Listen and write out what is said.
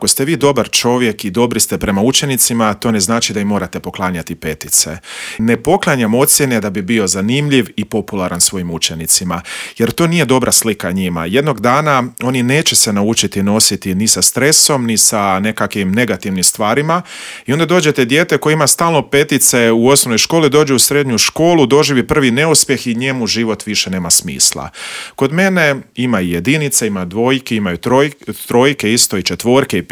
Ako ste vi dobar čovjek i dobri ste prema učenicima, to ne znači da im morate poklanjati petice. Ne poklanjam ocjene da bi bio zanimljiv i popularan svojim učenicima, jer to nije dobra slika njima. Jednog dana oni neće se naučiti nositi ni sa stresom, ni sa nekakvim negativnim stvarima i onda dođete dijete koje ima stalno petice u osnovnoj školi, dođe u srednju školu, doživi prvi neuspjeh i njemu život više nema smisla. Kod mene ima i jedinice, ima dvojke, imaju trojke, isto i četvorke i petice.